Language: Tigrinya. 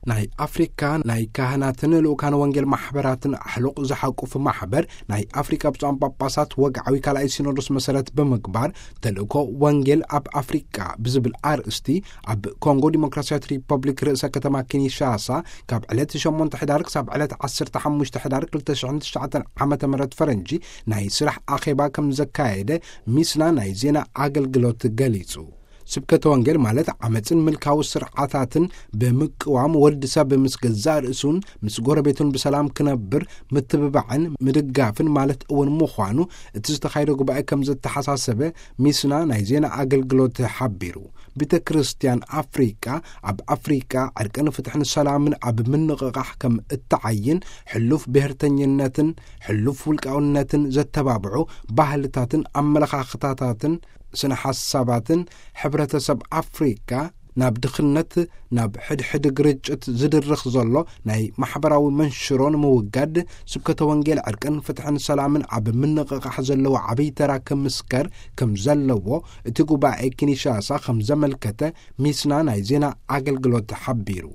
ናይ ኣፍሪካ ናይ ካህናትን ልኡካን ወንጌል ማሕበራትን ኣሕሉቕ ዝሓቁፍ ማሕበር፣ ናይ ኣፍሪካ ብፁዓን ጳጳሳት ወግዓዊ ካልኣይ ሲኖዶስ መሰረት ብምግባር፣ ተልእኮ ወንጌል ኣብ ኣፍሪካ ብዝብል ኣርእስቲ፣ ኣብ ኮንጎ ዲሞክራሲያዊት ሪፐብሊክ ርእሰ ከተማ ኪንሻሳ፣ ካብ ዕለት ሸሞንተ ሕዳር ክሳብ ዕለት ዓሰርተ ሓሙሽተ ሕዳር ክልተ ሽሕን ትሽዓተን ዓመተ ምህረት ፈረንጂ ናይ ስራሕ ኣኼባ ከም ዘካየደ ሚስና ናይ ዜና ኣገልግሎት ገሊጹ። ስብከተ ወንጌል ማለት ዓመፅን ምልካዊ ስርዓታትን ብምቅዋም፣ ወዲ ሰብ ምስ ገዛእ ርእሱን ምስ ጎረቤቱን ብሰላም ክነብር ምትብባዕን ምድጋፍን ማለት እውን ምዃኑ እቲ ዝተኻየደ ጉባኤ ከም ዘተሓሳሰበ ሚስና ናይ ዜና ኣገልግሎት ሓቢሩ። ቤተ ክርስቲያን ኣፍሪቃ ኣብ ኣፍሪቃ ዕርቅን ፍትሕን ሰላምን ኣብ ምንቕቓሕ ከም እትዓይን፣ ሕሉፍ ብሔርተኝነትን ሕሉፍ ውልቃውነትን ዘተባብዑ ባህልታትን ኣመለኻኽታታትን ስነ ሓሳባትን፣ ሕብረተሰብ ኣፍሪካ ናብ ድኽነት፣ ናብ ሕድሕድ ግርጭት ዝድርኽ ዘሎ ናይ ማሕበራዊ መንሽሮ ንምውጋድ፣ ስብከተ ወንጌል ዕርቅን ፍትሕን ሰላምን ኣብ ምንቕቓሕ ዘለዎ ዓብዪ ተራ ክምስከር ከም ዘለዎ እቲ ጉባኤ ኪንሻሳ ከም ዘመልከተ ሚስና ናይ ዜና ኣገልግሎት ሓቢሩ።